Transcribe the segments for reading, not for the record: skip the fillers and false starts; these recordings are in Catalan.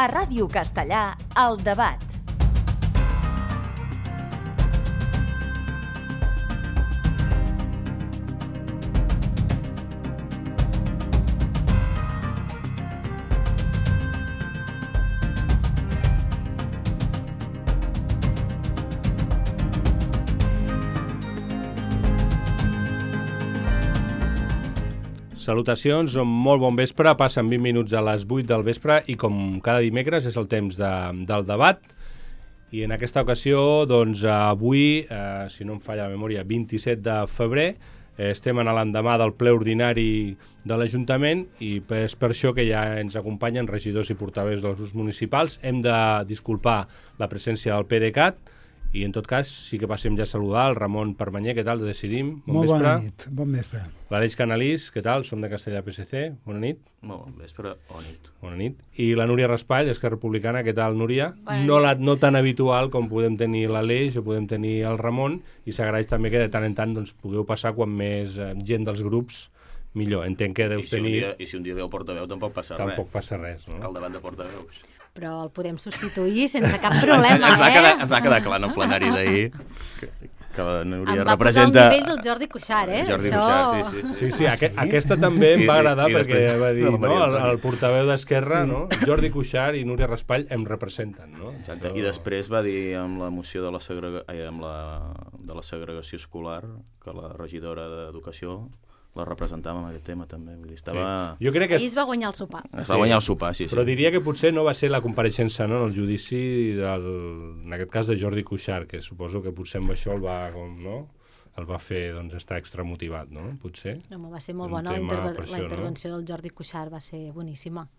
A Ràdio Castellà, El Debat. Salutacions, molt bon vespre, passen 20 minuts a les 8 del vespre i com cada dimecres és el temps del debat i en aquesta ocasió, doncs avui, si no em falla la memòria, 27 de febrer, estem en l'endemà del ple ordinari de l'Ajuntament i és per això que ja ens acompanyen regidors i portaveus dels grups municipals. Hem de disculpar la presència del PDeCAT i en tot cas sí que passem ja a saludar el Ramon Permanyer, què tal, de Decidim? Bon vespre. Bona nit, bon vespre. L'Aleix Canalís, què tal? Som de Castellà PSC, bona nit. Molt bon vespre, bona nit. Bona nit. I la Núria Raspall, Esquerra Republicana, què tal, Núria? No tan habitual com podem tenir l'Aleix o podem tenir el Ramon, i s'agraeix també que de tant en tant doncs, pugueu passar quan més gent dels grups millor. Entenc que deus tenir... I si un dia veu portaveu tampoc passa res. Tampoc passa res, no? Al davant de portaveus. Però el podem substituir sense cap problema, ens va quedar clar en el plenari d'ahir que la Núria representa... Em va posar al nivell del Jordi Cuixart, Jordi Cuixart, sí. Aquesta també em va agradar perquè va dir, no, el portaveu d'Esquerra, no? Jordi Cuixart i Núria Raspall em representen, no? Exacte. I després va dir amb la moció de la segregació escolar que la regidora d'Educació la representàvem amb aquest tema també. Vull dir, estava... Sí. Jo crec que... Ahir es va guanyar el sopar. Es va guanyar el sopar, sí. Però diria que potser no va ser la compareixença, no?, en el judici, en aquest cas de Jordi Cuixart, que suposo que potser amb això el va fer doncs, estar extramotivat, no? Potser. No, va ser molt bona. La intervenció del Jordi Cuixart va ser boníssima.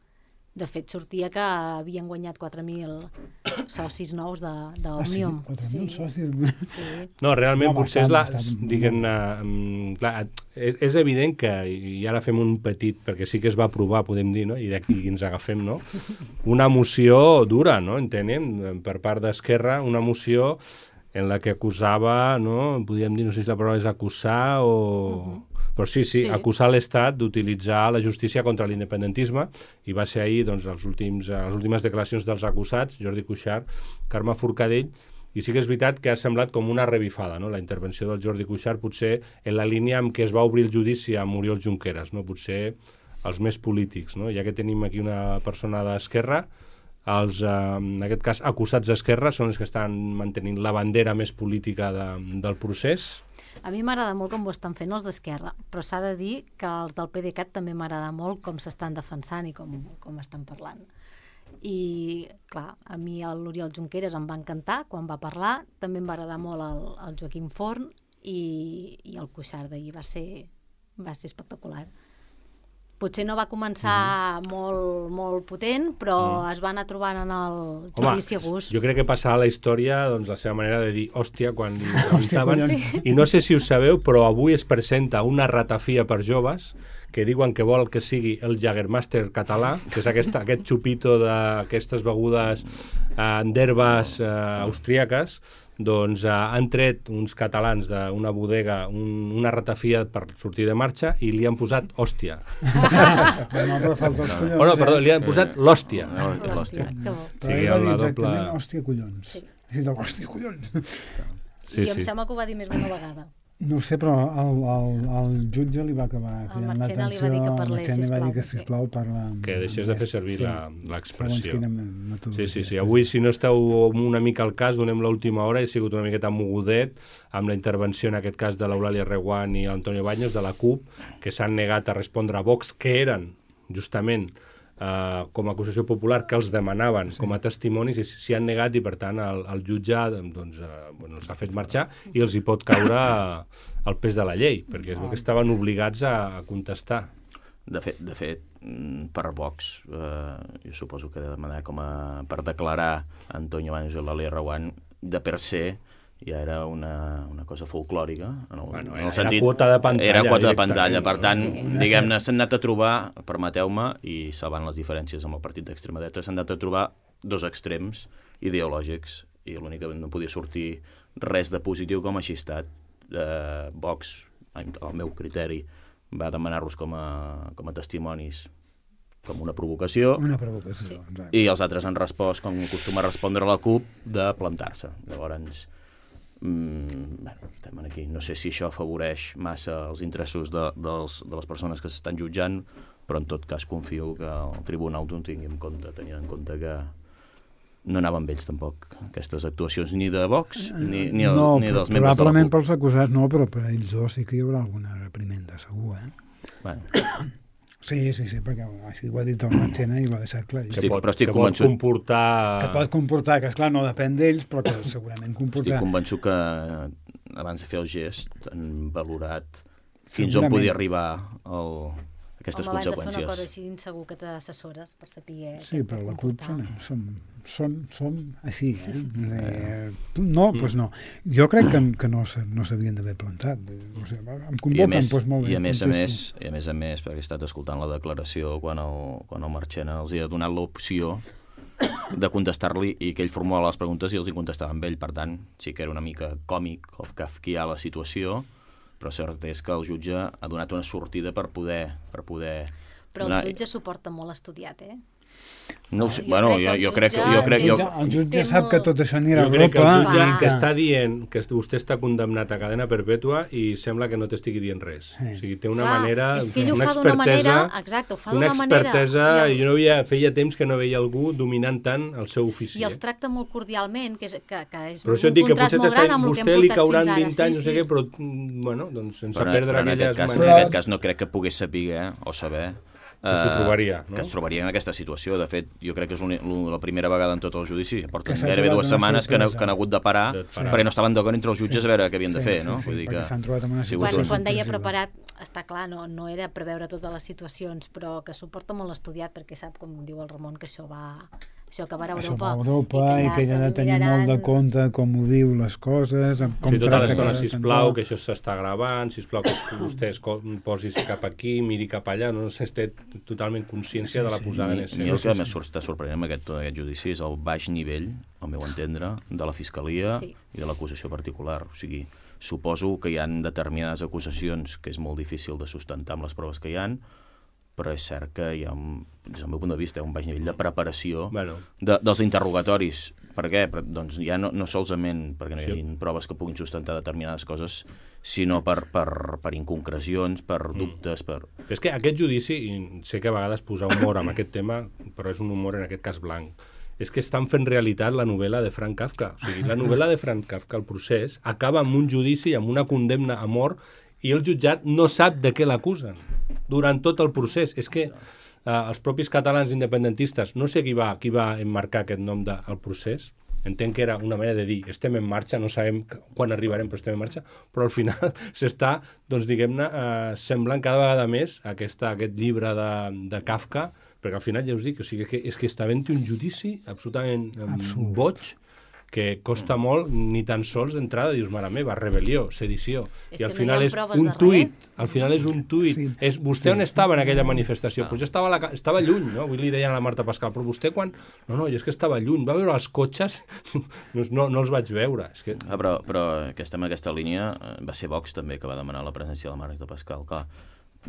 De fet, sortia que havien guanyat 4.000 socis nous d'Òmnium. Ah, sí? 4.000 socis? Sí. No, realment potser és la... Clar, és evident que, i ara fem un petit, perquè sí que es va aprovar, podem dir, no? I d'aquí ens agafem, no? Una moció dura, no? Entenem, per part d'Esquerra, una moció en la que acusava, no? Podríem dir, no sé si la paraula és acusar o... Però sí, acusar l'Estat d'utilitzar la justícia contra l'independentisme i va ser ahir doncs, les últimes declaracions dels acusats, Jordi Cuixart, Carme Forcadell, i sí que és veritat que ha semblat com una revifada, no? La intervenció del Jordi Cuixart potser en la línia amb què es va obrir el judici amb Oriol Junqueras, no? Potser els més polítics, no? Ja que tenim aquí una persona d'Esquerra, els, en aquest cas, acusats d'Esquerra són els que estan mantenint la bandera més política del procés. A mi m'agrada molt com ho estan fent els d'Esquerra, però s'ha de dir que els del PDeCAT també m'agrada molt com s'estan defensant i com estan parlant. I, clar, a mi l'Oriol Junqueras em va encantar quan va parlar, també em va agradar molt el Joaquim Forn i el Cuixart d'ahir va ser espectacular. Potser no va començar molt potent, però es va anar trobant en el judici a gust. Jo crec que passarà a la història doncs, la seva manera de dir hòstia quan li preguntaven. I no sé si ho sabeu, però avui es presenta una ratafia per joves que diuen que vol que sigui el Jägermeister català, que és aquest xupito d'aquestes begudes d'herbes austríaques. Doncs han tret uns catalans d'una bodega una ratafia per sortir de marxa i li han posat hòstia. Li han posat l'hòstia. L'hòstia, que bo. Però ell va dir exactament hòstia collons. Hòstia collons. I em sembla que ho va dir més d'una vegada. No ho sé, però el jutge li va acabar. El Marchena li va dir que parlés, sisplau. Li va dir que, sisplau, parla... Que deixés de fer servir l'expressió. Sí. Avui, si no esteu una mica al cas, donem l'última hora, he sigut una miqueta mogudet amb la intervenció, en aquest cas, de l'Eulàlia Reguant i Antonio Baños, de la CUP, que s'han negat a respondre a Vox, que eren, justament, com a acusació popular que els demanaven com a testimonis i s'hi han negat i per tant el jutge doncs, els ha fet marxar i els hi pot caure el pes de la llei perquè és que estaven obligats a contestar. De fet, per Vox, jo suposo que de demanar per declarar Antonio Baños i l'Eulàlia Reguant de per se ja era una cosa folclòrica en el sentit, era quota de pantalla, era quota de pantalla. Per tant, diguem-ne, s'han anat a trobar, permeteu-me, i salvant les diferències amb el partit d'extrema dreta, s'han anat a trobar dos extrems ideològics i l'únic que no podia sortir res de positiu com així ha estat. Vox, al meu criteri, va demanar-los com a testimonis com una provocació. Una provocació, exacte. I els altres han respost, com acostuma a respondre la CUP, de plantar-se. Llavors, estem aquí. No sé si això afavoreix massa els interessos de les persones que s'estan jutjant, però en tot cas confio que el tribunal ho tingui en compte, tenint en compte que no anaven ells tampoc aquestes actuacions ni de Vox ni dels membres de la CUP. Probablement pels acusats no, però per ells dos sí que hi haurà alguna reprimenda, segur, Bueno. Sí, perquè així ho ha dit el Marchena i ho ha deixat clar. Però estic convençut... Que pot comportar, que esclar, no depèn d'ells, però que segurament comportarà. Estic convençut que abans de fer el gest han valorat fins on podia arribar aquestes conseqüències. Abans de fer una cosa així, segur que t'assessores per saber... Sí, però la CUP som així, No, doncs no. Jo crec que no s'havien d'haver plantat. O sigui, em convoquen, doncs molt bé. I a més, perquè he estat escoltant la declaració quan el Marchena els ha donat l'opció de contestar-li i que ell formulava les preguntes i els hi contestava amb ell. Per tant, sí que era una mica còmic o kafkià la situació, però cert és que el jutge ha donat una sortida per poder... Però el jutge s'ho porta molt estudiat, No ho sé, jo crec... El jutge sap que tot això anirà a Europa. Jo crec que el jutge que està dient que vostè està condemnat a cadena perpètua i sembla que no t'estigui dient res. O sigui, té una manera... És que ell ho fa d'una manera... Exacte, ho fa d'una manera... Una expertesa... Jo feia temps que no veia algú dominant tant el seu ofici. I els tracta molt cordialment, que és però un contrast molt gran amb el que hem portat fins ara. Vostè li cauran 20 anys, no sé què, però, bueno, doncs sense perdre aquelles maneres... En aquest cas no crec que pogués saber o saber... que s'ho trobaria, no? Que es trobaria en aquesta situació. De fet, jo crec que és la primera vegada en tot el judici. Porten gairebé 2 setmanes que han hagut de parar perquè no estaven d'acord entre els jutges a veure què havien de fer, no? Vull dir que s'han trobat en una situació... Quan deia preparat, està clar, no era preveure totes les situacions, però que s'ho porta molt estudiat perquè sap, com diu el Ramon, que això acabarà a Europa i que ella ha de tenir molt de compte com ho diu les coses, com tracta l'estona, sisplau, que això s'està gravant, sisplau que vostè posis cap aquí, miri cap allà, no s'està totalment consciència de la posada en escena. El que més està sorprenent amb aquest judici és el baix nivell, al meu entendre, de la Fiscalia i de l'acusació particular. O sigui, suposo que hi ha determinades acusacions que és molt difícil de sustentar amb les proves que hi ha, però és cert que hi ha, des del meu punt de vista, un baix nivell de preparació dels interrogatoris. Per què? Doncs ja no solament perquè no hi hagi proves que puguin sustentar determinades coses, sinó per inconcrecions, per dubtes. És que aquest judici, i sé que a vegades posar humor amb aquest tema, però és un humor en aquest cas blanc, és que estan fent realitat la novel·la de Frank Kafka. O sigui, la novel·la de Frank Kafka, el procés, acaba amb un judici, amb una condemna a mort, i el jutjat no sap de què l'acusen durant tot el procés. És que els propis catalans independentistes, no sé qui va emmarcar aquest nom del procés, entenc que era una manera de dir estem en marxa, no sabem quan arribarem però estem en marxa, però al final s'està, doncs diguem-ne, semblant cada vegada més aquest llibre de Kafka, perquè al final ja us dic, o sigui, és que està havent un judici absolutament boig, que costa molt, ni tan sols d'entrada, dius, mare meva, rebel·lió, sedició. I al final és un tuit, vostè on estava en aquella manifestació? Doncs jo estava lluny, no? Avui li deien a la Marta Pascal, però vostè quan... No, jo és que estava lluny, va veure els cotxes, no els vaig veure. Però en aquesta línia va ser Vox també que va demanar la presència de la Marta Pascal, clar.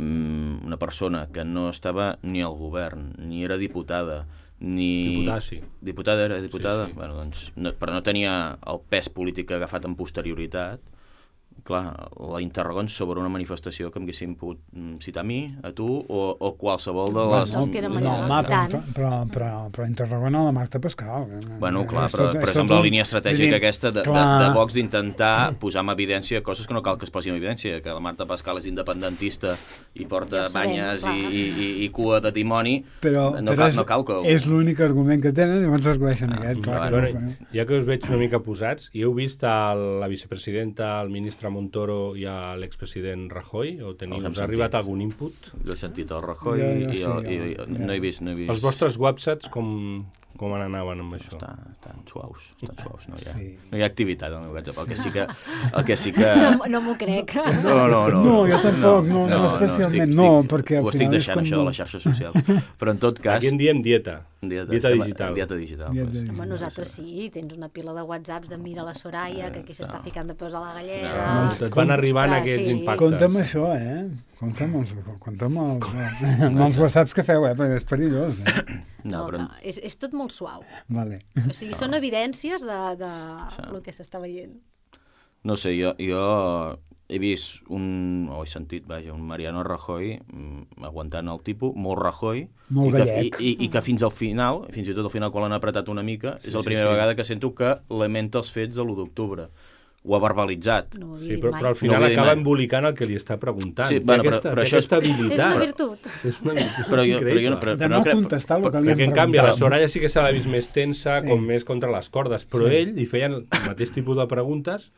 Una persona que no estava ni al govern, ni era diputada, Diputada, sí. Diputada? Sí. Bueno, doncs, però no tenia el pes polític agafat en posterioritat. Clar, la interroguen sobre una manifestació que m'haguessin pogut citar a mi, a tu, o qualsevol de les... Però interroguen a la Marta Pascal. Bueno, clar, però és amb la línia estratègica aquesta de Vox d'intentar posar en evidència coses que no cal que es posi en evidència, que la Marta Pascal és independentista i porta banyes i cua de dimoni, no cal que... És l'únic argument que tenen, llavors es gueixen aquest. Ja que us veig una mica posats, i heu vist la vicepresidenta, el ministre Montoro i a l'expresident Rajoy? O us ha arribat algun input? Jo he sentit el Rajoy i no he vist... Els vostres websats com anaven amb això? Estan suaus, no hi ha activitat al meu WhatsApp, el que sí que... No m'ho crec. No, jo tampoc, no especialment, no, perquè al final... Ho estic deixant, això de les xarxes socials. Però en tot cas... Aquí en diem dieta. Dieta digital. Home, nosaltres sí, tens una pila de whatsapps de mira la Soraya, que aquí s'està ficant de peus a la galleda... Et van arribant aquests impactes. Compta'm això, compta'm els whatsapps que feu, perquè és perillós. No, és tot molt suau. Vale. O sigui, són evidències de el que s'està veient. No sé, jo he vist he sentit, un Mariano Rajoy aguantant el tipus, molt Rajoy, molt gallec. I que fins al final, fins i tot al final quan l'han apretat una mica, és la primera vegada que sento que lamenta els fets de l'1 d'octubre. Ho ha verbalitzat. No però al final acaba embolicant el que li està preguntant. Sí, però això aquesta habilitat. És una virtut. És una virtut increïble. De no contestar el que li han preguntat. En canvi, a la Soraya sí que se l'ha vist més tensa, com més contra les cordes, però ell li feien el mateix tipus de preguntes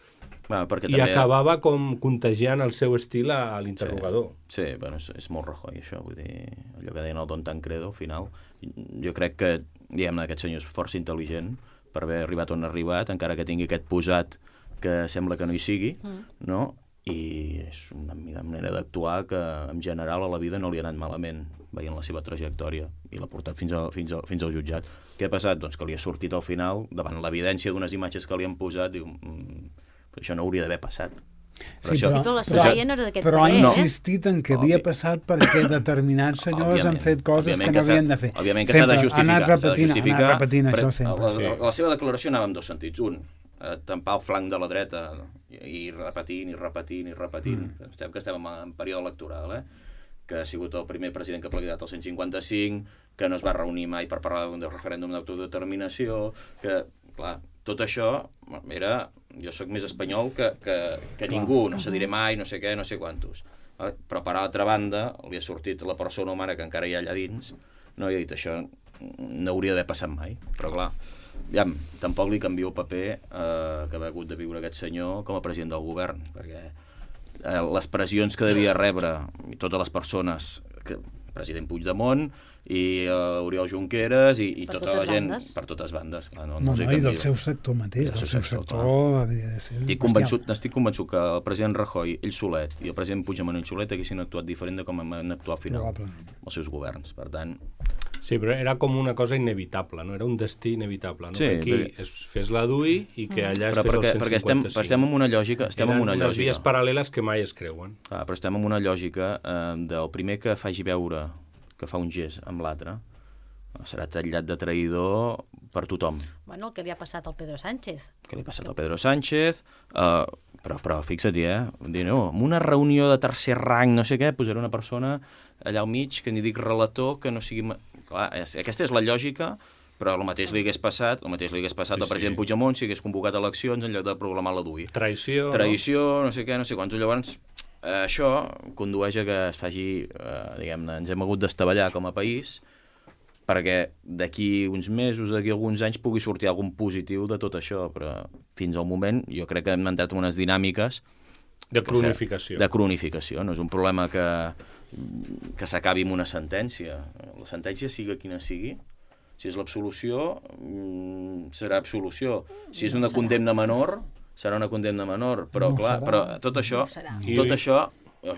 i acabava com contagiant el seu estil a l'interrogador. Sí, bueno, és molt Rajoy, això. Vull dir, allò que deien el Don Tancredo, al final. Jo crec que, diguem-ne, aquest senyor és força intel·ligent per haver arribat on ha arribat, encara que tingui aquest posat que sembla que no hi sigui, no? I és una manera d'actuar que en general a la vida no li ha anat malament, veient la seva trajectòria, i l'ha portat fins al jutjat. Què ha passat? Doncs que li ha sortit al final, davant l'evidència d'unes imatges que li han posat, diu, això no hauria d'haver passat. Però la Soraya no era d'aquest però ha parer, insistit en que havia passat perquè determinats senyors han fet coses que no havien de fer. Òbviament que s'ha de justificar. Ha anat repetint això sempre. La seva declaració anava en dos sentits. Un, tampar el flanc de la dreta i repetint. Estem en període electoral, que ha sigut el primer president que ha plegat el 155, que no es va reunir mai per parlar d'un referèndum d'autodeterminació, que, clar, tot això era... Jo sóc més espanyol que ningú, no se diré mai, no sé què, no sé quantos. Però per altra banda, li ha sortit la persona humana que encara hi ha allà dins, no? I ha dit, això no hauria d'haver passat mai. Però clar, tampoc li canvio el paper que ha hagut de viure aquest senyor com a president del govern, perquè les pressions que devia rebre totes les persones, president Puigdemont i Oriol Junqueras i tota la gent per totes bandes. I del seu sector mateix, del seu sector havia de ser estic convençut que el president Rajoy, ell solet, i el president Puigdemont, ell solet, haguessin actuat diferent de com han actuat al final els seus governs. Per tant... Sí, però era com una cosa inevitable, no? Era un destí inevitable, no? Que aquí es fes la DUI i que allà es fes el 155. Perquè estem en una lògica... Eren unes vies paral·leles que mai es creuen. Però estem en una lògica del primer que faci veure que fa un gest amb l'altre, serà titllat de traïdor per tothom. Bueno, el que li ha passat al Pedro Sánchez. Que li ha passat al Pedro Sánchez, però fixa't, dir, no, en una reunió de tercer rang, no sé què, posaré una persona allà al mig, que ni dic relator, que no sigui... Clar, aquesta és la lògica, però el mateix li hagués passat al president Puigdemont si hagués convocat eleccions en lloc de proclamar la DUI. Traïció, no sé què, no sé quants. Llavors, això condueix a que es faci, diguem-ne, ens hem hagut d'estavellar com a país perquè d'aquí uns mesos, d'aquí alguns anys pugui sortir algun positiu de tot això, però fins al moment jo crec que hem entrat en unes dinàmiques de cronificació. De cronificació, no és un problema que s'acabi amb una sentència. La sentència, sigui quina sigui, si és l'absolució, serà absolució. Si és una condemna menor, serà una condemna menor. Però, clar, tot això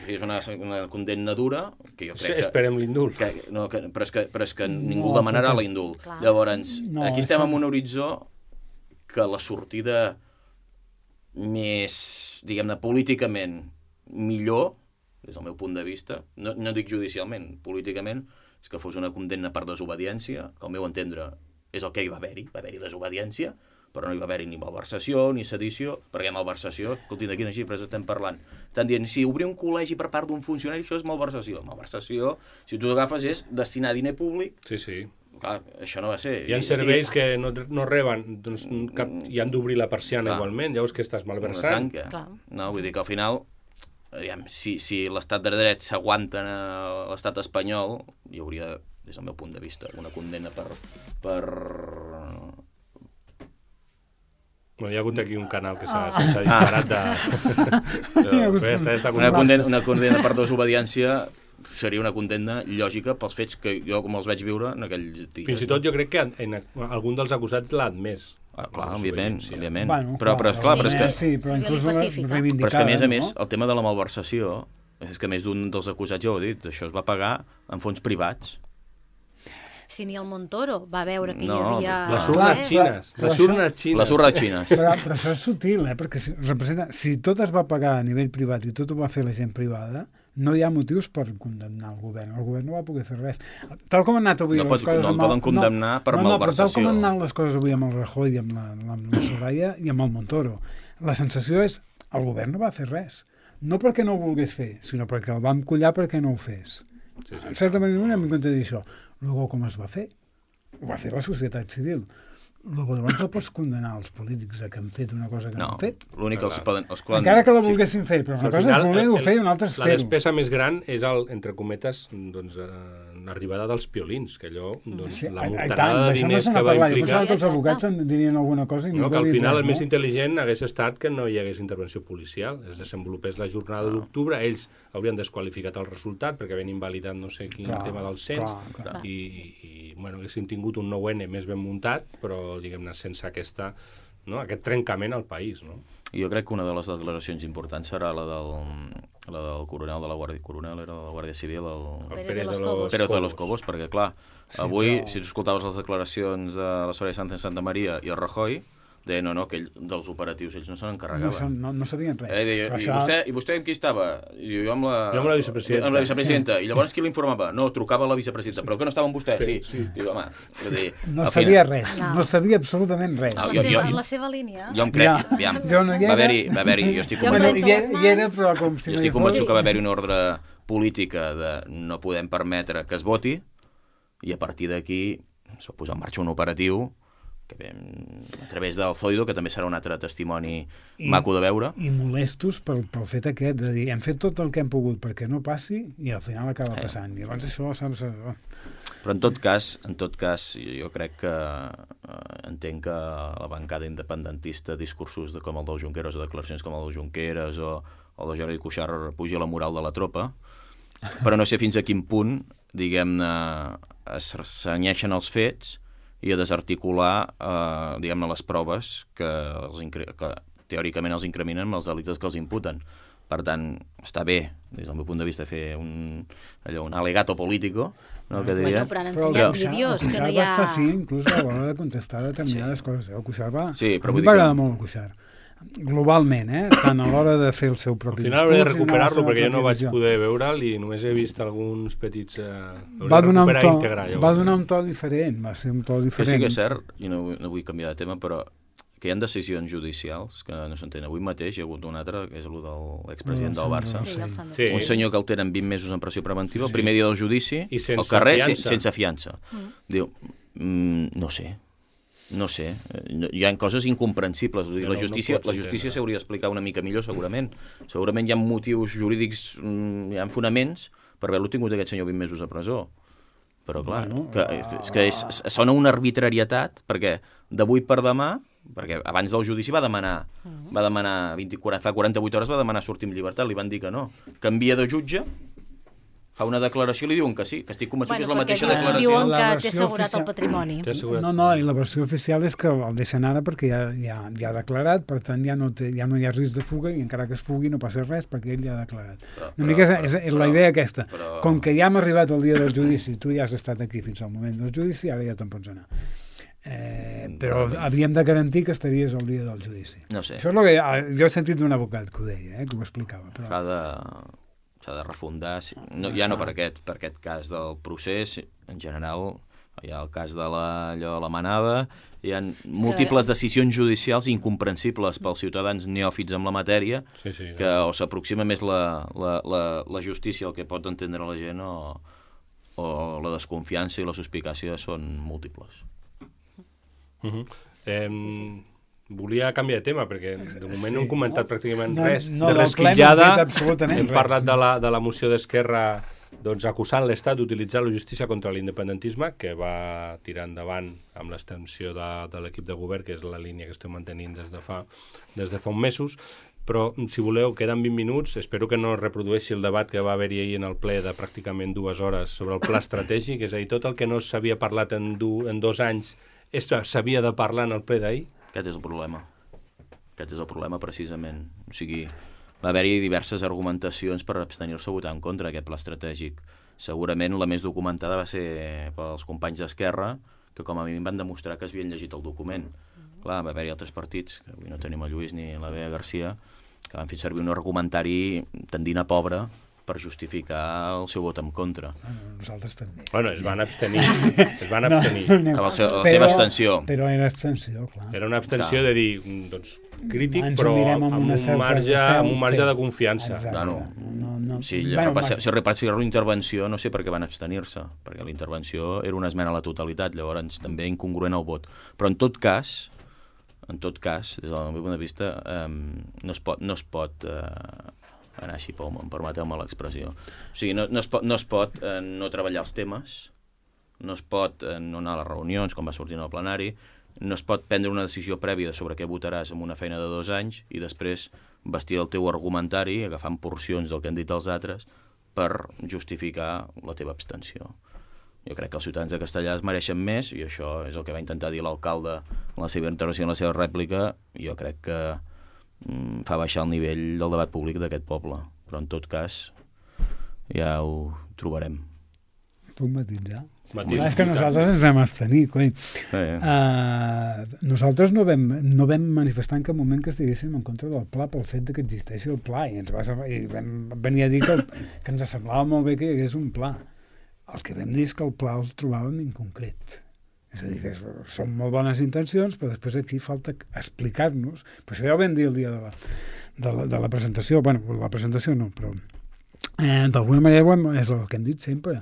és una condemna dura, que jo crec que... Esperem l'indult. Però és que ningú demanarà l'indult. Llavors, aquí estem en un horitzó que la sortida més, diguem-ne, políticament millor, des del meu punt de vista, no dic judicialment, políticament, és que fos una condemna per desobediència, que al meu entendre és el que hi va haver-hi desobediència, però no hi va haver-hi ni malversació ni sedició, perquè malversació, escolti, de quines xifres estem parlant? Estan dient, si obrir un col·legi per part d'un funcionari, això és malversació. Malversació, si tu agafes, és destinar diner públic. Sí. Clar, això no va ser. Hi ha serveis que no reben, doncs i han d'obrir la persiana igualment, llavors que estàs malversant. No, vull dir que al final, si l'estat de dret s'aguanta a l'estat espanyol, hi hauria, des del meu punt de vista, una condemna per... Bueno, hi ha hagut aquí un canal que s'ha disparat de... Una condemna per desobediència seria una condemna lògica pels fets que jo com els vaig viure en aquells dies. Fins i tot jo crec que algun dels acusats l'ha admès. Clar, òbviament. Bueno, però és que... Sí, però inclús reivindicada. Però és que a més, el tema de la malversació, és que més d'un dels acusats ja ho ha dit, això es va pagar en fons privats. si ni el Montoro va veure que hi havia... Les urnes xines. Les urnes xines. Però això és sutil, perquè representa... Si tot es va pagar a nivell privat i tot ho va fer la gent privada, no hi ha motius per condemnar el govern. El govern no va poder fer res. Tal com han anat avui les coses... No el poden condemnar per malversació. Però tal com han anat les coses avui amb el Rajoy i amb la Soraya i amb el Montoro, la sensació és el govern no va fer res. No perquè no ho volgués fer, sinó perquè el vam collar perquè no ho fes. En certa manera no hem de dir això. Luego, com es va fer? Ho va fer la societat civil. Luego, llavors no pots condenar els polítics que han fet una cosa que no han fet. L'únic que els poden... Encara que la volguessin fer, però una cosa és voler-ho fer i una altra és fer-ho. La despesa més gran és, entre cometes, l'arribada dels piolins, que allò, la morterada de diners que va implicar... Que els advocats dirien alguna cosa i no, que al final el més intel·ligent hagués estat que no hi hagués intervenció policial, es desenvolupés la jornada d'octubre, ells haurien desqualificat el resultat perquè havien invalidat no sé quin tema del cens i bueno, haguéssim tingut un 9N més ben muntat, però diguem-ne sense aquest trencament al país, no? Jo crec que una de les declaracions importants serà la del coronel de la Guàrdia Civil, el Pérez de los Cobos, perquè clar, avui, si tu escoltaves les declaracions de la Soraya Sánchez Santa Maria i el Rajoy, deien, no, que dels operatius ells no se n'encarregaven. No sabien res. I vostè amb qui estava? Jo amb la vicepresidenta. Amb la vicepresidenta. I llavors qui l'informava? No, trucava a la vicepresidenta. Però que no estava amb vostè? Sí. Diu, home, no sabia res. No sabia absolutament res. La seva línia. Jo em crec, aviam, va haver-hi, jo estic convençut que va haver-hi una ordre política de no podem permetre que es voti i a partir d'aquí es va posar en marxa un operatiu que a través del Zoido, que també serà un altre testimoni maco de veure. I molestos pel fet aquest de dir, hem fet tot el que hem pogut perquè no passi i al final acaba passant. I llavors això... Però en tot cas, jo crec que entenc que la bancada independentista, discursos com el del Junqueras o declaracions com el del Junqueras o el de Jordi Cuixart puja la moral de la tropa, però no sé fins a quin punt, diguem-ne, es cenyeixen els fets i a desarticular, diguem-ne, les proves que teòricament els incriminen amb els delictes que els imputen. Per tant, està bé, des del meu punt de vista, fer un alegato político, no, que diria... Però han ensenyat vídeos que no hi ha... El Cuixart va estar fi, inclús a l'hora de contestar determinades coses. El Cuixart va... Sí, però a mi m'agrada molt el Cuixart. Globalment, tant a l'hora de fer el seu propi discurs... Al final hauré de recuperar-lo perquè jo no vaig poder veure'l i només he vist alguns petits... Va donar un to diferent, va ser un to diferent. Que sí que és cert, i no vull canviar de tema, però que hi ha decisions judicials que no s'entén. Avui mateix hi ha hagut un altre, que és el de l'expresident del Barça. Sí. Un senyor que el tenen 20 mesos en pressió preventiva, el primer dia del judici, al carrer, sense fiança. Diu, no sé, hi ha coses incomprensibles. La justícia s'hauria d'explicar una mica millor, segurament. Segurament hi ha motius jurídics, hi ha fonaments per haver-lo tingut aquest senyor 20 mesos a presó. Però clar, és que sona una arbitrarietat, perquè d'avui per demà, perquè abans del judici va demanar fa 48 hores va demanar sortir amb llibertat, li van dir que no. Canvia de jutge, fa una declaració i li diuen que sí, que estic convençut que és la mateixa declaració. Diuen que té assegurat el patrimoni. No, i la versió oficial és que el deixen ara perquè ja ha declarat, per tant ja no hi ha risc de fuga i encara que es fugui no passa res perquè ell ja ha declarat. Una mica és la idea aquesta. Com que ja hem arribat al dia del judici, tu ja has estat aquí fins al moment del judici, ara ja te'n pots anar. Però havíem de garantir que estaries al dia del judici. No sé. Això és el que jo he sentit d'un advocat que ho deia, que ho explicava. S'ha de refundar, ja no per aquest cas del procés, en general hi ha el cas de la manada, hi ha múltiples decisions judicials incomprensibles pels ciutadans neòfits amb la matèria, que o s'aproxima més la justícia al que pot entendre la gent o la desconfiança i la suspicàcia són múltiples. Volia canviar de tema, perquè de moment no hem comentat pràcticament res. De resquillada hem parlat de la moció d'Esquerra acusant l'Estat d'utilitzar la justícia contra l'independentisme, que va tirar endavant amb l'extensió de l'equip de govern, que és la línia que estem mantenint des de fa uns mesos. Però, si voleu, queden 20 minuts. Espero que no reprodueixi el debat que va haver-hi ahir en el ple de pràcticament 2 hores sobre el pla estratègic, és a dir, tot el que no s'havia parlat en 2 anys s'havia de parlar en el ple d'ahir. Aquest és el problema. Aquest és el problema, precisament. O sigui, va haver-hi diverses argumentacions per abstenir-se a votar en contra d'aquest pla estratègic. Segurament la més documentada va ser pels companys d'Esquerra, que com a mínim van demostrar que es havien llegit el document. Clar, va haver-hi altres partits, que avui no tenim el Lluís ni la Bea Garcia, que van fer servir un argumentari tendint a pobre per justificar el seu vot en contra. Nosaltres també. Bueno, es van abstenir. La seva abstenció. Però era abstenció, clar. Era una abstenció de dir, doncs, crític, Ens però mirem amb un marge de confiança. Exacte. Si repassar la intervenció, no sé per què van abstenir-se, perquè la intervenció era una esmena a la totalitat, llavors també incongruent el vot. Però en tot cas, des del meu punt de vista, no es pot anar així, permeteu-me l'expressió. O sigui, no es pot no treballar els temes, no es pot no anar a les reunions, com va sortir en el plenari, no es pot prendre una decisió prèvia sobre què votaràs en una feina de 2 anys i després vestir el teu argumentari agafant porcions del que han dit els altres per justificar la teva abstenció. Jo crec que els ciutadans de Castellà es mereixen més, i això és el que va intentar dir l'alcalde en la seva intervenció, en la seva rèplica, i jo crec que fa baixar el nivell del debat públic d'aquest poble. Però en tot cas ja ho trobarem. Puc matisar? És que nosaltres ens vam abstenir, coi. Nosaltres no vam manifestar en cap moment que estiguéssim en contra del pla pel fet que existeixi el pla, i vam venir a dir que ens semblava molt bé que hi hagués un pla. El que vam dir és que el pla el trobàvem inconcret. És a dir, que són molt bones intencions, però després aquí falta explicar-nos. Per això ja ho vam dir el dia de la presentació. Bueno, la presentació no, però d'alguna manera és el que hem dit sempre.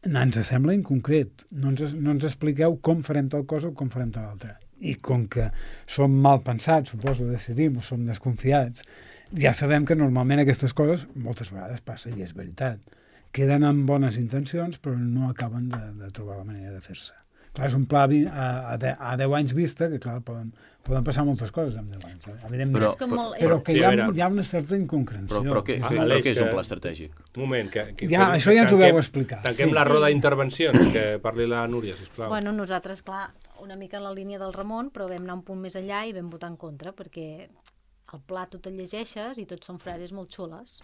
Ens sembla inconcret. No ens expliqueu com farem tal cosa o com farem tal altra. I com que som mal pensats, suposo, decidim, o som desconfiats, ja sabem que normalment aquestes coses moltes vegades passa, i és veritat. Queden amb bones intencions, però no acaben de trobar la manera de fer-se. Clar, és un pla a 10 anys vista, que clar, poden passar moltes coses en 10 anys, evidentment. Però que hi ha una certa inconcreció. Però què és un pla estratègic? Un moment, això ja ens ho vau explicar. Tanquem la roda d'intervencions, que parli la Núria, sisplau. Bueno, nosaltres, clar, una mica en la línia del Ramon, però vam anar un punt més enllà i vam votar en contra, perquè el pla tu te'l llegeixes i tots són frases molt xules,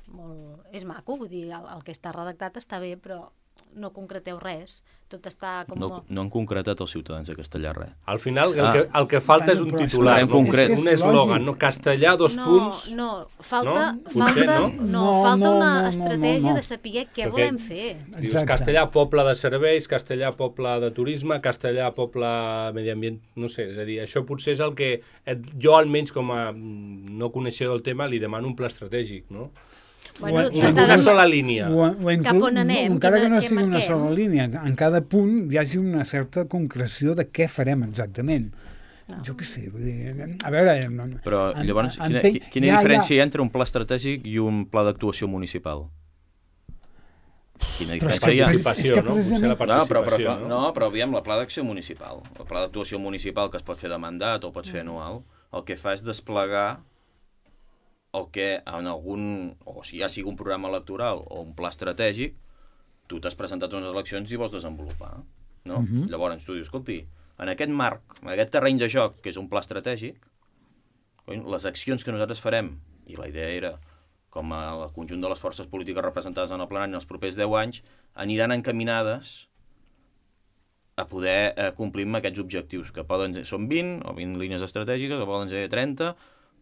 és maco, vull dir, el que està redactat està bé, però no concreteu res, tot està com... No han concretat els ciutadans de Castellà res. Al final el que falta és un titular, un eslògan, no? Castellà, punts... Falta una estratègia de saber què volem fer. Dius Castellà, poble de serveis, Castellà, poble de turisme, Castellà, poble medi ambient, no sé, és a dir, això potser és el que jo almenys com a no coneixedor del tema li demano un pla estratègic, no? Bueno, una sola línia. Cap on anem? Encara que no sigui una sola línia, en cada punt hi hagi una certa concreció de què farem exactament. Jo què sé, vull dir... A veure... Però llavors, quina diferència hi ha entre un pla estratègic i un pla d'actuació municipal? Quina diferència hi ha? Però aviam, la pla d'acció municipal, el pla d'actuació municipal que es pot fer de mandat o pot fer anual, el que fa és desplegar el que en algun, o si ja sigui un programa electoral o un pla estratègic, tu t'has presentat a unes eleccions i vols desenvolupar, no? Llavors tu dius, escolti, en aquest marc, en aquest terreny de joc, que és un pla estratègic, les accions que nosaltres farem, i la idea era, com el conjunt de les forces polítiques representades en el plenari en els propers 10 anys, aniran encaminades a poder complir amb aquests objectius, que poden ser, són 20 o 20 línies estratègiques, o poden ser 30,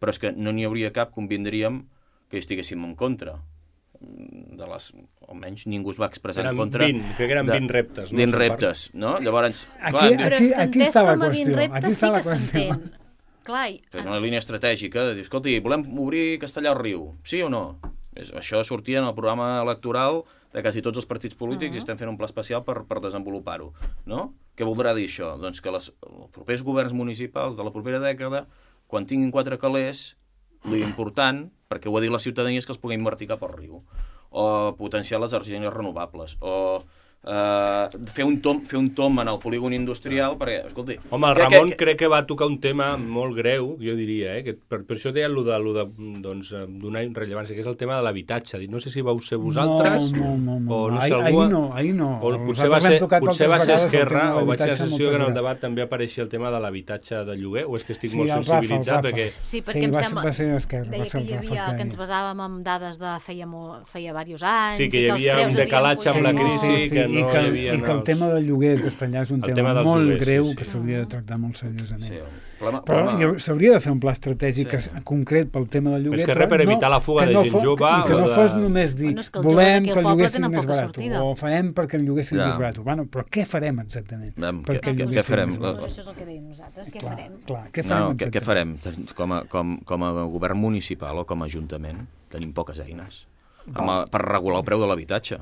però és que no n'hi hauria cap, convindríem, que estiguéssim en contra. Almenys ningú es va expressar en contra. Que eren 20 reptes. 20 reptes, no? Llavors... Però és que entès com a 20 reptes sí que s'entén. És una línia estratègica de dir, escolti, volem obrir Castellà al Riu, sí o no? Això sortia en el programa electoral de quasi tots els partits polítics i estem fent un pla especial per desenvolupar-ho, no? Què voldrà dir això? Doncs que els propers governs municipals de la propera dècada, quan tinguin 4 calés, l'important, perquè ho ha dit la ciutadania, és que els puguem invertir cap al riu, o potenciar les energies renovables, o fer un tom en el polígon industrial, perquè, escolti... Home, el Ramon crec que va tocar un tema molt greu, jo diria, que per això deia allò de donar rellevància, que és el tema de l'habitatge. No sé si vau ser vosaltres... No. O no sé algú... Ahir no. O potser va ser Esquerra, o vaig a la sessió que en el debat també apareixia el tema de l'habitatge de lloguer, o és que estic molt sensibilitzat, perquè... Sí, perquè em sembla... Va ser Esquerra. Deia que hi havia, que ens basàvem en dades de feia diversos anys... Sí, que hi havia un decalatge amb la crisi, que no hi havia... I que el tema del lloguer castellà és un tema molt greu que s'hauria de tractar molt seriosament. Però s'hauria de fer un pla estratègic concret pel tema del lloguer. És que res per evitar la fuga de gent jove... I que no fos només dir, volem que el lloguer sigui més barat, o farem perquè el lloguer sigui més barat. Bueno, però què farem exactament? Què farem? Això és el que deim nosaltres, què farem? Què farem? Com a govern municipal o com a ajuntament tenim poques eines per regular el preu de l'habitatge.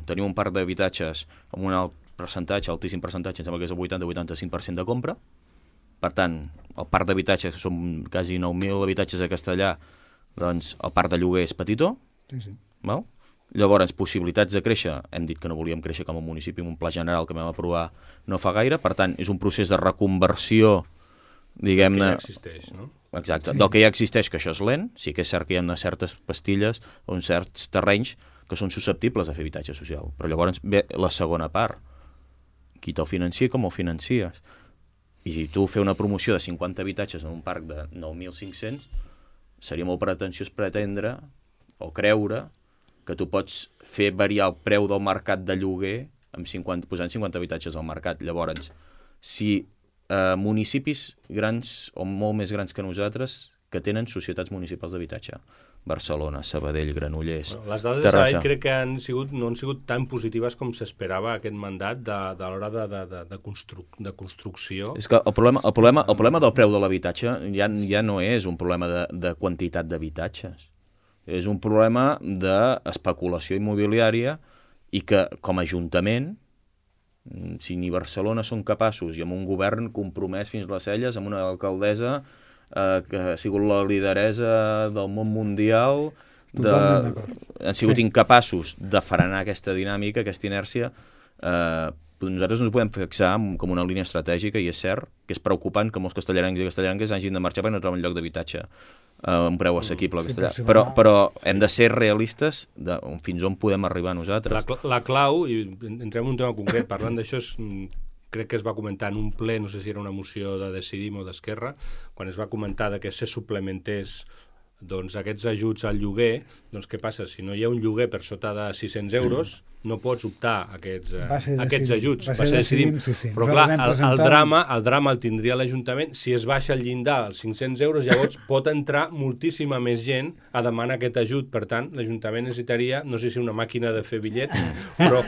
Tenim un parc d'habitatges amb un alt percentatge, altíssim percentatge, em sembla que és el 80-85% de compra. Per tant, el parc d'habitatges, són quasi 9.000 habitatges a Castellà, doncs el parc de lloguer és petitó. Sí. Llavors, possibilitats de créixer, hem dit que no volíem créixer com a municipi amb un pla general que vam aprovar no fa gaire, per tant, és un procés de reconversió, diguem-ne... Que ja existeix, no? Exacte, del que ja existeix, que això és lent, sí que és cert que hi ha certes pastilles o certs terrenys que són susceptibles a fer habitatge social, però llavors ve la segona part, qui te'l financia i com ho financies. I si tu fer una promoció de 50 habitatges en un parc de 9.500, seria molt pretensiós pretendre o creure que tu pots fer variar el preu del mercat de lloguer posant 50 habitatges al mercat. Llavors, si municipis grans o molt més grans que nosaltres que tenen societats municipals d'habitatge, Barcelona, Sabadell, Granollers, les dades Terrassa. crec que no han sigut tan positives com s'esperava aquest mandat de l'hora de construcció. És que el problema del preu de l'habitatge ja no és un problema de quantitat d'habitatges. És un problema d'especulació immobiliària i que, com a ajuntament, si ni Barcelona són capaços i amb un govern compromès fins les celles, amb una alcaldessa que ha sigut la lideresa del món mundial, han sigut incapaços de frenar aquesta dinàmica, aquesta inèrcia, nosaltres no ens podem fixar com una línia estratègica, i és cert que és preocupant que molts castellarencs i castellarenques hagin de marxar perquè no troben lloc d'habitatge a un preu assequible a Castellà. Però hem de ser realistes de fins on podem arribar nosaltres. La clau, i entrem en un tema concret, parlant d'això, crec que es va comentar en un ple, no sé si era una moció de Decidim o d'Esquerra, quan es va comentar que se suplementés aquests ajuts al lloguer, doncs què passa? Si no hi ha un lloguer per sota de 600 euros, no pots optar a aquests ajuts. Va ser Decidim, sí. Però clar, el drama el tindria l'Ajuntament. Si es baixa el llindar als 500 euros, llavors pot entrar moltíssima més gent a demanar aquest ajut. Per tant, l'Ajuntament necessitaria, no sé si una màquina de fer bitllets, però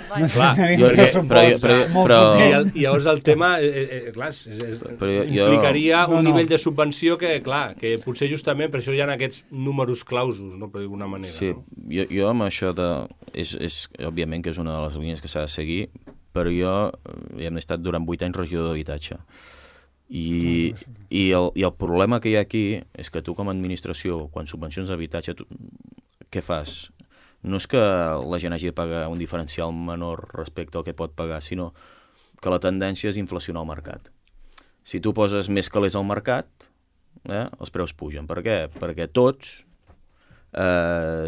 i llavors el tema implicaria un nivell de subvenció que potser justament per això hi ha aquests números clausos, no, per alguna manera. Sí, jo amb això és òbviament que és una de les línies que s'ha de seguir, però jo hem estat durant 8 anys regidor d'habitatge. I el problema que hi ha aquí és que tu com a administració, quan subvencions d'habitatge, què fas? No és que la gent hagi de pagar un diferencial menor respecte al que pot pagar, sinó que la tendència és inflacionar el mercat. Si tu poses més calés al mercat, els preus pugen. Per què? Perquè tots,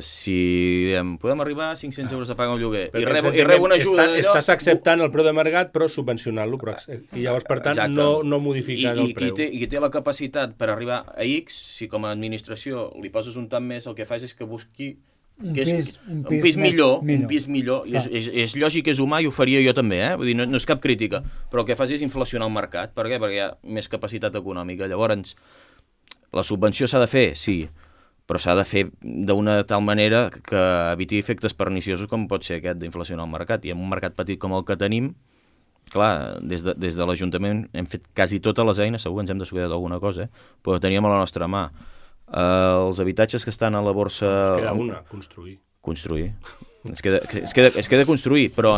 si podem arribar a 500 euros a pagar un lloguer i rebo una ajuda d'allò... Estàs acceptant el preu de mercat però subvencionant-lo, i llavors per tant no modifiques el preu. I qui té la capacitat per arribar a X, si com a administració li poses un tant més, el que fas és que busqui un pis millor. És lògic, és humà, i ho faria jo també, vull dir, no és cap crítica, però el que fas és inflacionar el mercat. Per què? Perquè hi ha més capacitat econòmica. Llavors, la subvenció s'ha de fer, sí, però s'ha de fer d'una tal manera que eviti efectes perniciosos com pot ser aquest d'inflacionar el mercat. I en un mercat petit com el que tenim, clar, des de l'Ajuntament hem fet quasi totes les eines, segur que ens hem descuidat alguna cosa, però teníem a la nostra mà. Els habitatges que estan a la borsa... Es queda una, construir. Es queda construir, però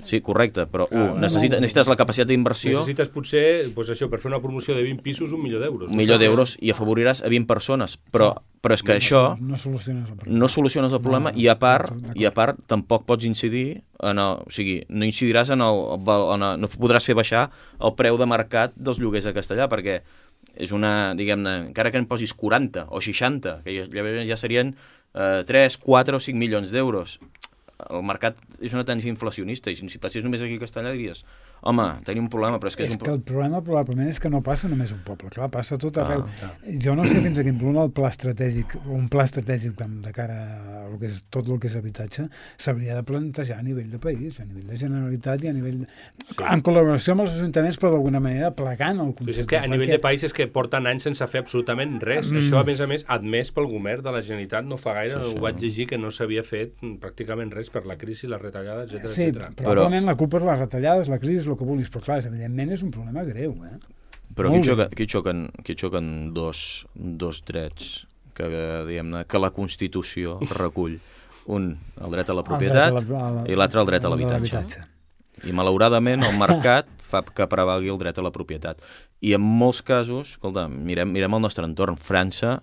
Sí, correcte, però necessites la capacitat d'inversió... Necessites potser, doncs això, per fer una promoció de 20 pisos, $1 milió. $1 milió i afavoriràs a 20 persones, però és que això no soluciones el problema i a part tampoc pots incidir o sigui, no incidiràs no podràs fer baixar el preu de mercat dels lloguers a Castellà, perquè és una, diguem-ne, encara que en posis 40 o 60, que ja serien 3, 4 o 5 milions d'euros. El mercat és una tendència inflacionista i si passés només aquí a Castellà diries home, tenim un problema, però és que és que el problema probablement és que no passa només un poble, clar, passa tot arreu. Jo no sé fins a quin punt el pla estratègic, un pla estratègic de cara a tot el que és habitatge s'hauria de plantejar a nivell de país, a nivell de Generalitat i a nivell... en col·laboració amb els ajuntaments, però d'alguna manera plegant el concepte. És que a nivell de país és que porten anys sense fer absolutament res. Això, a més, admès pel govern de la Generalitat no fa gaire, ho vaig llegir que no s'havia fet pràcticament res per la crisi, les retallades, etc. Sí, probablement la culpa és les retallades, la crisi, el que vulguis, però clar, evidentment és un problema greu. Però aquí xoquen dos drets que, diguem-ne, que la Constitució recull. Un, el dret a la propietat, i l'altre, el dret a l'habitatge. I malauradament el mercat fa que prevalgui el dret a la propietat. I en molts casos, escolta, mirem el nostre entorn. França,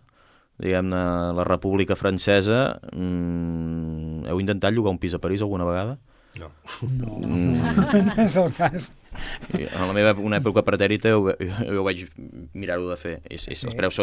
diguem-ne, la República Francesa, heu intentat llogar un pis a París alguna vegada? No és el cas. En la meva una època pretèrita jo vaig mirar-ho de fer. Els preus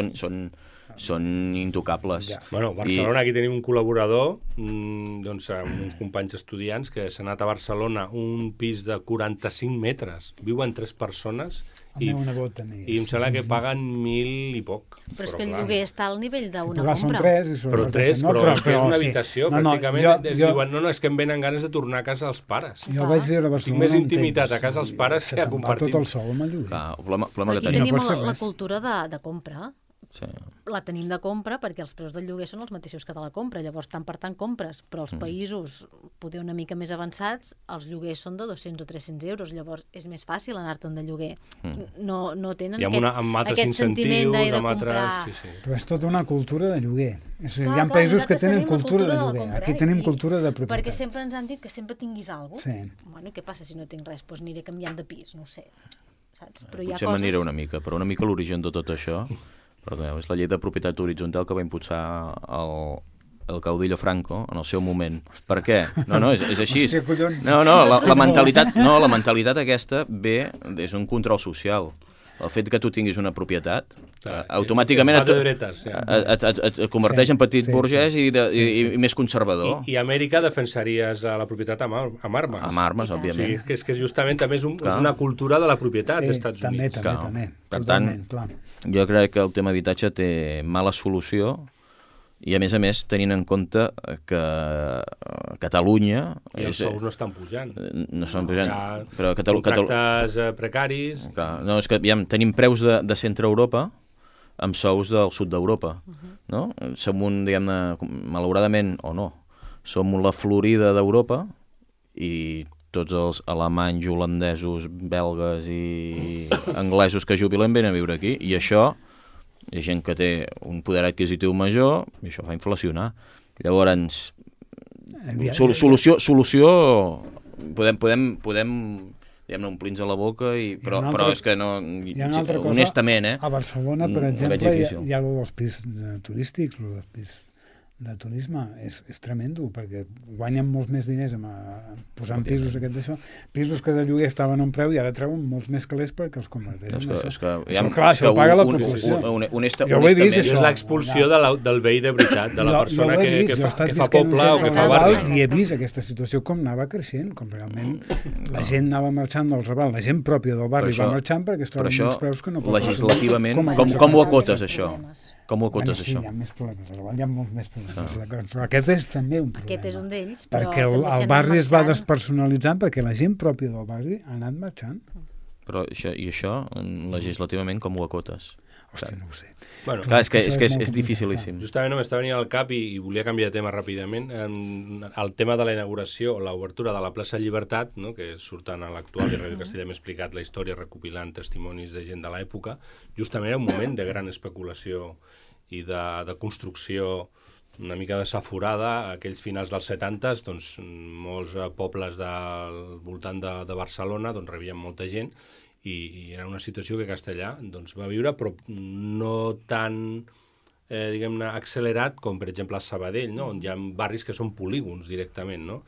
són intocables. Bueno, a Barcelona aquí tenim un col·laborador, doncs amb uns companys estudiants que s'ha anat a Barcelona, un pis de 45 metres, viuen 3 persones i em sembla que paguen 1.000 i poc. Però és que el lloguer està al nivell d'una compra. Són 3. Però és que és una habitació, pràcticament. Diuen, no, és que em venen ganes de tornar a casa als pares. Jo vaig viure a Barcelona. Tinc més intimitat a casa als pares que a compartir. Tot el sou amb el lloguer. El problema que tenim la cultura de compra. Sí. La tenim de compra perquè els preus del lloguer són els mateixos que de la compra, llavors tant per tant compres, però els països poder una mica més avançats els lloguers són de 200 o 300 euros, llavors és més fàcil anar-te'n de lloguer. No tenen aquest sentiment de comprar. Però és tota una cultura de lloguer. Hi ha països que tenen cultura de lloguer, aquí tenim cultura de propietat. Perquè sempre ens han dit que sempre tinguis alguna cosa. Bueno, i què passa si no tinc res? Doncs aniré canviant de pis, no ho sé. Potser m'aniré una mica, però una mica l'origen de tot això és la llei de propietat horitzontal que va impulsar el caudillo Franco en el seu moment. Per què? No, és així. La mentalitat aquesta és un control social. El fet que tu tinguis una propietat automàticament et converteix en petit burgès i més conservador. I a Amèrica defensaries la propietat amb armes. Amb armes, òbviament. És que justament també és una cultura de la propietat als Estats Units. També. Per tant, jo crec que el tema habitatge té mala solució i, a més, tenint en compte que Catalunya... I els sous no estan pujant. No estan pujant. Però contractes precaris... No, és que tenim preus de centre Europa amb sous del sud d'Europa. No? Som diguem-ne, malauradament, o no, som la Florida d'Europa i tots els alemanys, holandesos, belgues i anglesos que jubilen venen a viure aquí. I això... hi ha gent que té un poder adquisitiu major i això fa inflacionar. Llavors, solució podem omplir-nos la boca, però és que no... Honestament, a Barcelona, per exemple, hi ha els pisos turístics, els pisos de turisme, és tremendo, perquè guanyen molts més diners posant pisos d'això, pisos que de lloguer estaven a un preu i ara treuen molts més calés perquè els converteixen en això. Clar, això ho paga la proporció. Jo ho he vist, això. És l'expulsió del veí de veritat, de la persona que fa poble o que fa barri. I he vist aquesta situació com anava creixent, com realment la gent anava marxant del Raval, la gent pròpia del barri va marxant perquè es troben uns preus que no poden... Legislativament, com ho acotes, això? Com ho acotes, això? Sí, hi ha més problemes, hi ha molts més problemes, però aquest és també un problema. Aquest és un d'ells, però perquè el barri es va despersonalitzant perquè la gent pròpia del barri ha anat marxant. Però això, legislativament, com ho acotes? Hòstia, no ho sé. Bueno, clar, és que és dificilíssim. Justament m'estava venint al cap i volia canviar de tema ràpidament. El tema de la inauguració o l'obertura de la plaça Llibertat, no, que surten a l'actual i Ràdio Castellà hem explicat la història recopilant testimonis de gent de l'època, justament era un moment de gran especulació i de construcció una mica desaforada, aquells finals dels 70s, doncs molts pobles del voltant de Barcelona doncs rebien molta gent i era una situació que Castellà doncs, va viure, però no tan diguem-ne, accelerat com, per exemple, a Sabadell, no? On hi ha barris que són polígons directament, no?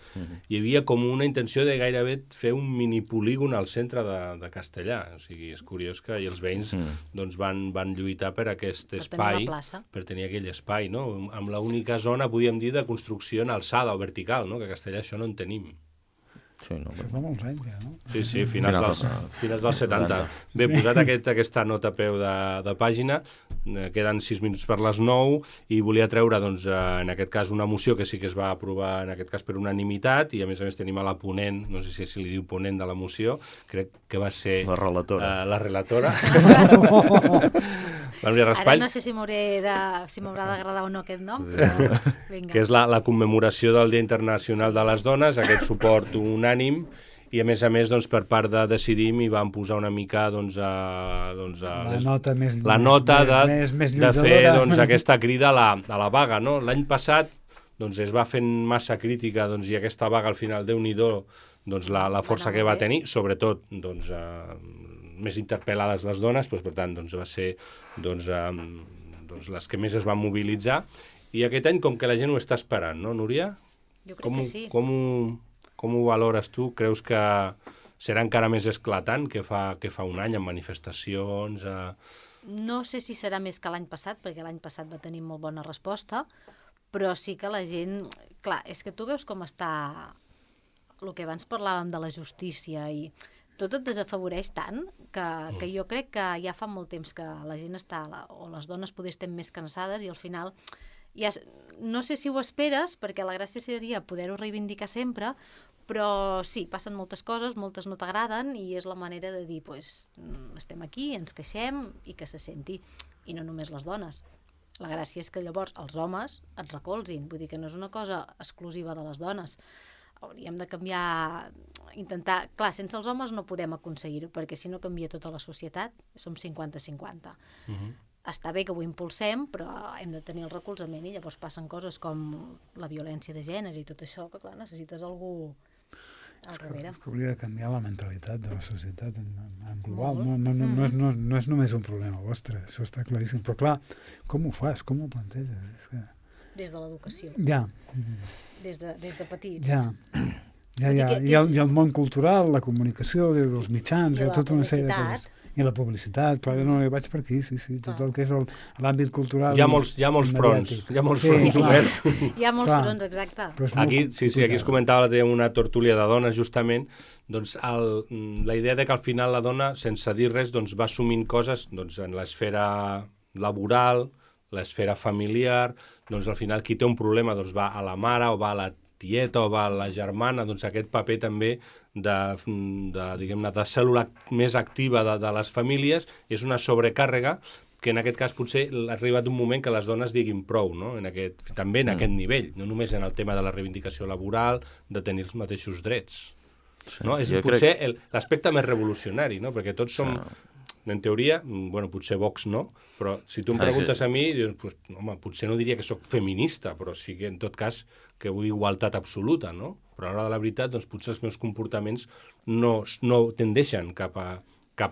Hi havia com una intenció de gairebé fer un minipolígon al centre de Castellà. O sigui, és curiós que els veïns doncs, van lluitar per aquest espai, per tenir aquell espai, no? Amb l'única zona, podríem dir, de construcció en alçada o vertical, no? Que a Castellà això no en tenim. Sí, no, això fa molts anys ja, no? Sí, finals dels 70. Bé, posat aquesta nota a peu de pàgina, queden 6 minuts per les 9 i volia treure, doncs, en aquest cas, una moció que sí que es va aprovar, en aquest cas, per unanimitat, i a més tenim a la ponent, no sé si li diu ponent de la moció, crec que va ser... La relatora. La relatora. Ara no sé si m'haurà d'agradar o no aquest nom, però vinga. Que és la commemoració del Dia Internacional de les Dones, aquest suport unànim, i a més, doncs, per part de Decidim hi van posar una mica doncs, la nota de fer doncs, aquesta crida a la vaga. No? L'any passat doncs, es va fent massa crítica doncs, i aquesta vaga al final, Déu-n'hi-do, doncs, la força que va tenir, sobretot doncs, més interpel·lades les dones, doncs, per tant doncs, va ser doncs, les que més es van mobilitzar, i aquest any com que la gent ho està esperant, no, Núria? Jo crec que sí. Com ho valores tu? Creus que serà encara més esclatant que fa un any, amb manifestacions? No sé si serà més que l'any passat, perquè l'any passat va tenir molt bona resposta, però sí que la gent... Clar, és que tu veus com està el que abans parlàvem de la justícia i tot et desafavoreix tant que jo crec que ja fa molt temps que la gent està, o les dones poder estem més cansades i al final ja, no sé si ho esperes, perquè la gràcia seria poder-ho reivindicar sempre, però sí, passen moltes coses, moltes no t'agraden i és la manera de dir, pues, estem aquí, ens queixem i que se senti, i no només les dones. La gràcia és que llavors els homes et recolzin, vull dir que no és una cosa exclusiva de les dones. Hauríem de canviar, intentar... Clar, sense els homes no podem aconseguir-ho, perquè si no canvia tota la societat, som 50-50. Està bé que ho impulsem, però hem de tenir el recolzament i llavors passen coses com la violència de gènere i tot això, que clar, necessites algú al darrere. Que hauria de canviar la mentalitat de la societat en global. No és només un problema vostre, això està claríssim. Però clar, com ho fas? Com ho planteges? És que... Des de l'educació. Ja. Des de petits. Ja. I el món cultural, la comunicació, els mitjans, hi ha tota una sèrie de coses. I la publicitat, clar, no, jo vaig per aquí, sí, tot el que és l'àmbit cultural. Hi ha molts fronts, oberts. Hi ha molts fronts, exacte. Aquí es comentava una tertúlia de dones, justament, doncs la idea de que al final la dona, sense dir res, doncs va assumint coses doncs, en l'esfera laboral, l'esfera familiar, doncs al final qui té un problema doncs va a la mare o va a la tieta o va a la germana, doncs aquest paper també diguem-ne, de cèl·lula més activa de les famílies és una sobrecàrrega que en aquest cas potser ha arribat un moment que les dones diguin prou, no? També en aquest nivell, no només en el tema de la reivindicació laboral, de tenir els mateixos drets. Sí, no? És potser l'aspecte més revolucionari, no? Perquè tots som... En teoria, bueno, potser Vox no, però si tu em preguntes a mi, dius, pues, home, potser no diria que sóc feminista, però sí que en tot cas que vull igualtat absoluta, no? Però a l'hora de la veritat, doncs potser els meus comportaments no tendeixen cap a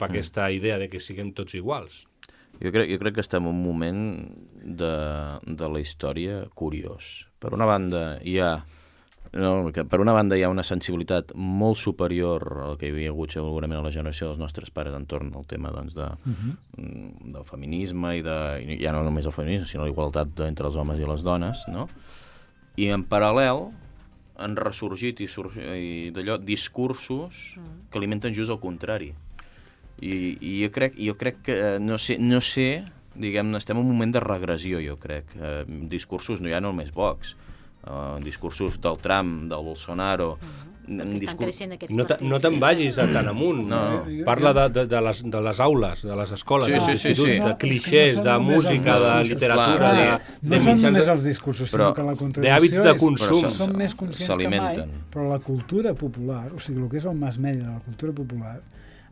aquesta idea de que siguem tots iguals. Jo crec que estem en un moment de la història curiós. Per una banda hi ha una sensibilitat molt superior al que hi havia hagut segurament a la generació dels nostres pares entorn al tema doncs, del feminisme i ja no només el feminisme, sinó la igualtat entre els homes i les dones, no? I en paral·lel han ressorgit i d'allò discursos que alimenten just el contrari. I jo crec que, no sé, diguem-ne, estem en un moment de regressió, jo crec. Discursos no hi ha només Vox, discursos del Trump, del Bolsonaro... Estan creixent aquests partits. No te'n vagis tan amunt. Parla de les aules, de les escoles, dels instituts, de clixés, de música, de literatura... No són només els discursos, sinó que la contradicció d'hàbits de consum. Som més conscients que mai, però la cultura popular, o sigui, el que és el mass media de la cultura popular,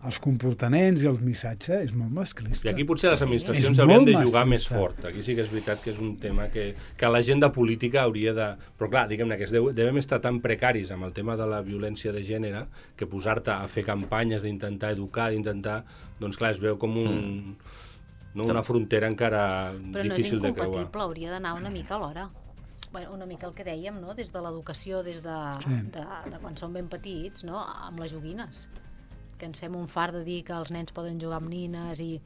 els comportaments i els missatges és molt masclista. I aquí potser les administracions És haurien molt de jugar més masclista. fort. Aquí sí que és veritat que és un tema que l'agenda política hauria de... Però clar, diguem-ne que devem estar tan precaris amb el tema de la violència de gènere que posar-te a fer campanyes d'intentar educar, d'intentar... Doncs clar, es veu com una frontera encara difícil de creuar. Però no és incompatible, hauria d'anar una mica alhora. Bueno, una mica el que dèiem, no? Des de l'educació, des de quan som ben petits, no? Amb les joguines. Que ens fem un fart de dir que els nens poden jugar amb nines i...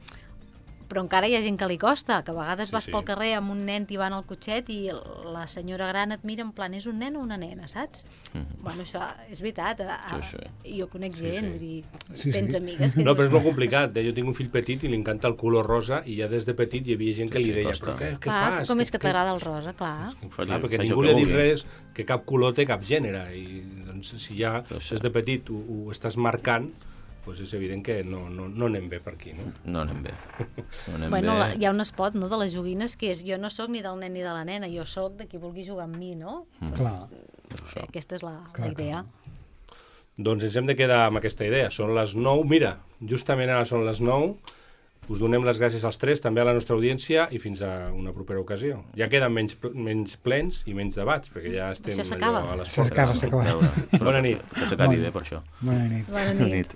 Però encara hi ha gent que li costa, que a vegades vas pel carrer amb un nen tibant el cotxet i la senyora gran et mira en plan, és un nen o una nena, saps? Bueno, això és veritat. Jo conec gent, vull dir, tens amigues que... No, però és molt complicat. Jo tinc un fill petit i li encanta el color rosa i ja des de petit hi havia gent que li deia, però què fas? Com és que t'agrada el rosa, clar. Clar, perquè ningú li ha dit res, que cap color té cap gènere. I doncs, si ja des de petit ho estàs marcant, doncs és evident que no anem bé per aquí, no? No anem bé. Bueno, hi ha un spot, no?, de les joguines que és jo no sóc ni del nen ni de la nena, jo sóc de qui vulgui jugar amb mi, no? Clar. Aquesta és la idea. Doncs ens hem de quedar amb aquesta idea. Són les 9. Mira, justament ara són les 9. Us donem les gràcies als tres, també a la nostra audiència, i fins a una propera ocasió. Ja queden menys plens i menys debats, perquè ja estem allò a les portes. S'acaba. Bona nit. Que s'acabi bé, per això. Bona nit. Bona nit.